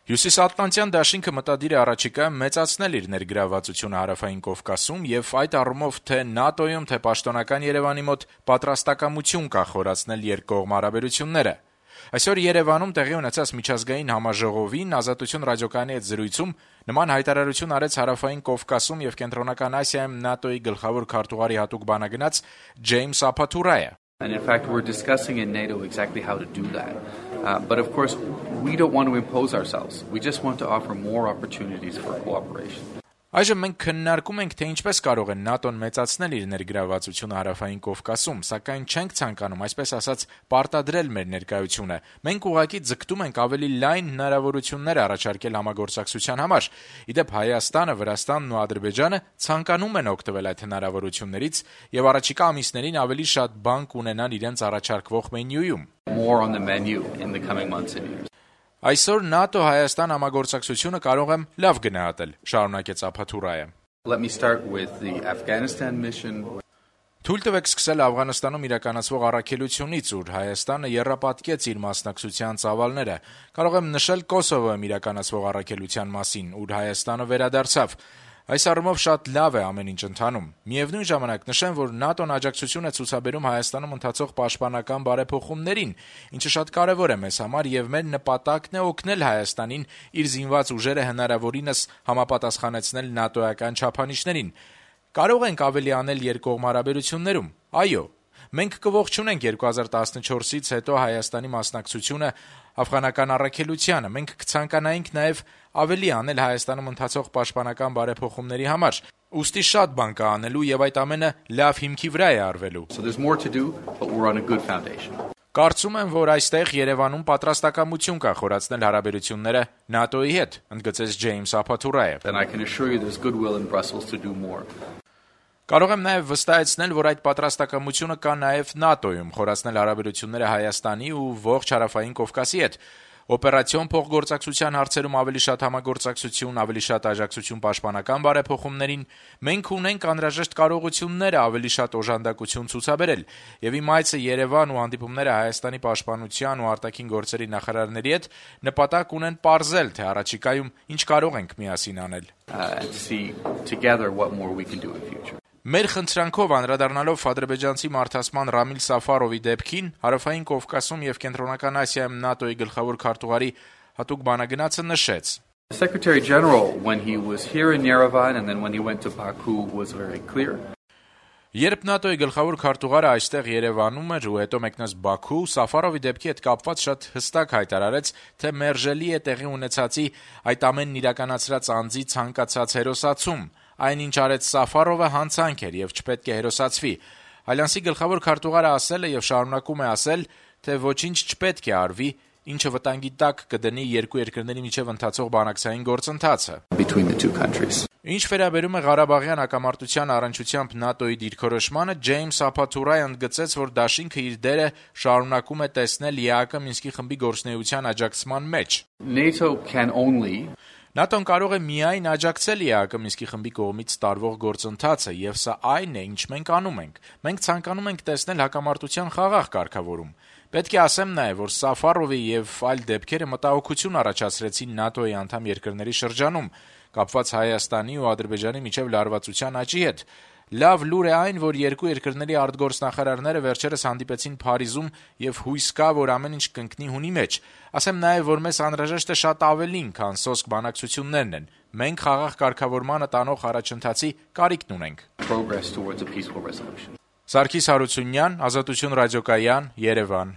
Հյուսիսատլանտյան դաշինքը մտադիր է առաջիկայում մեծացնել իր ներգրավվածությունը Հարավային Կովկասում եւ այդ առումով թե ՆԱՏՕ-ում, թե պաշտոնական Երևանի մոտ պատրաստակամություն կա խորացնել երկկողմ հարաբերությունները։ Այսօր Երևանում տեղի ունեցած միջազգային համաժողովին Ազատություն ռադիոկայանի հետ զրույցում նման հայտարարություն արեց Հարավային Կովկասում եւ Կենտրոնական Ասիայում ՆԱՏՕ-ի գլխավոր քարտուղարի հատուկ բանագնաց Ջեյմս Ափաթուրայը։ And in fact, we're discussing in NATO exactly how to do that. But of course, we don't want to impose ourselves. We just want to offer more opportunities for cooperation. Այժմ մենք քննարկում ենք, թե ինչպես կարող է ՆԱՏՕ-ն մեծացնել իր ներգրավվածությունը Հարավային Կովկասում, սակայն չենք ցանկանում, այսպես ասած, պարտադրել մեր ներկայությունը։ Մենք ուղղակի ձգտում ենք ավելի լայն հնարավորություններ առաջարկել համագործակցության համար։ Ի դեպ, Հայաստանը, Վրաստանն ու Ադրբեջանը ցանկանում են օգտվել այդ հնարավորություններից եւ առաջիկա ամիսներին ավելի շատ բան կունենան իրենց առաջարկվող մենյուում։ More on the menu in the coming months and years. Այսօր ՆԱՏՕ-Հայաստան համագործակցությունը կարող եմ լավ գնահատել, շարունակեց Ափաթուրայը։ Let me start with the Afghanistan mission. Թույլ տվեք սկսել Աֆղանստանում իրականացվող առաքելությունից, ուր Հայաստանը եռապատկեց իր մասնակցության ծավալները։ Կարող եմ նշել Կոսովոյում իրականացվող առաքելության մասին, ուր Հայաստանը վերադարձավ։ Այս առումով շատ լավ է ամեն ինչ ընթանում։ Միևնույն ժամանակ նշեմ, որ ՆԱՏՕ-ն աջակցություն է ցուցաբերում Հայաստանում ընթացող պաշտպանական բարեփոխումներին, ինչը շատ կարևոր է մեզ համար եւ մեր նպատակն է օգնել Հայաստանին իր զինված ուժերը հնարավորինս համապատասխանեցնել ՆԱՏՕ-ական չափանիշներին։ Կարող ենք ավելի անել երկկողմ հարաբերություններում։ Այո, մենք կողջունենք 2014-ից հետո Հայաստանի մասնակցությունը աֆղանական առաքելությանը։ Մենք կցանկանայինք նաև ավելի անել Հայաստանում ընթացող պաշտպանական բարեփոխումների համար։ Ուստի շատ բան կա անելու եւ այդ ամենը լավ հիմքի վրա է արվելու։ So there's more to do, but we're on a good foundation. Կարծում եմ, որ այստեղ Երևանում պատրաստակամություն կա խորացնել հարաբերությունները ՆԱՏՕ-ի հետ, ընդգծեց Ջեյմս Ափաթուրայը։ Then I can assure you there's goodwill in Brussels to do more. Կարող եմ նաև վստահեցնել, որ այդ պատրաստակամությունը կա նաև ՆԱՏՕ-ում խորացնել հարաբերությունները Հայաստանի ու ողջ Հարավային Կովկասի հետ։ Օպերացիոն փոխգործակցության հարցերում ավելի շատ համագործակցություն, ավելի շատ աջակցություն պաշտպանական բարեփոխումներին, մենք ունենք անհրաժեշտ կարողությունները ավելի շատ օժանդակություն ցուցաբերել, եւ իմ այցը Երևան ու հանդիպումները Հայաստանի պաշտպանության ու արտաքին գործերի նախարարների հետ նպատակ ունեն պարզել, թե առաջիկայում ինչ կարող ենք միասին անել։ And see together what more we can do in future. Մեր խնդրանքով անդրադառնալով ադրբեջանցի մարդասման Ռամիլ Սաֆարովի դեպքին, Հարավային Կովկասում եւ Կենտրոնական Ասիայում ՆԱՏՕ-ի գլխավոր քարտուղարի հատուկ բանագնացը նշեց. The Secretary General, when he was here in Yerevan and then when he went to Baku, was very clear. Երբ ՆԱՏՕ-ի գլխավոր քարտուղարը այստեղ Երևանում էր ու հետո մեկնեց Բաքու, Սաֆարովի դեպքի հետ կապված շատ հստակ հայտարարեց, թե մերժելի է տեղի ունեցածի այդ ամենն իրականացրած անձի ցանկացած հերոսացում։ Այնինչ արեց Սաֆարովը հանցանք էր եւ չպետք է հերոսացվի։ Ալյանսի գլխավոր քարտուղարը ասել է եւ շարունակում է ասել, թե ոչինչ չպետք է արվի, ինչը վտանգի տակ կդնի երկու երկրների միջև ընթացող բանակցային գործընթացը։ Between the two countries. Ինչ վերաբերում է Ղարաբաղյան հակամարտության առնչությամբ ՆԱՏՕ-ի դիրքորոշմանը, Ջեյմս Ափաթուրայը ընդգծեց, որ դաշինքը իր դերը շարունակում է տեսնել ԵԱԿ Մինսկի խմբի գործունեության աջակցման մեջ։ NATO can only ՆԱՏՕ-ն կարող է միայն աջակցել ԵԱԿ Մինսկի խմբի կողմից տարվող գործընթացը, եւ սա այն է, ինչ մենք անում ենք։ Մենք ցանկանում ենք տեսնել հակամարտության խաղաղ կարգավորում։ Պետք է ասեմ նաև, որ Սաֆարովի եւ այլ դեպքերը մտահոգություն առաջացրեցին ՆԱՏՕ-ի անդամ երկրների շրջանում, կապված Հայաստանի ու Ադրբեջանի միջև լարվածության աճի հետ։ Լավ լուր է այն, որ երկու երկրների արտգործնախարարները վերջերս հանդիպեցին Փարիզում եւ հույս կա, որ ամեն ինչ կընկնի հունի մեջ։ Ասեմ նաև, որ մեզ անհրաժեշտ է շատ ավելին, քան սոսկ բանակցություններն են։ Մենք խաղաղ կարգավորմանը տանող առաջընթացի կարիքն ունենք։ progress towards a peaceful resolution. Սարգիս Հարությունյան, Ազատություն ռադիոկայան, Երևան։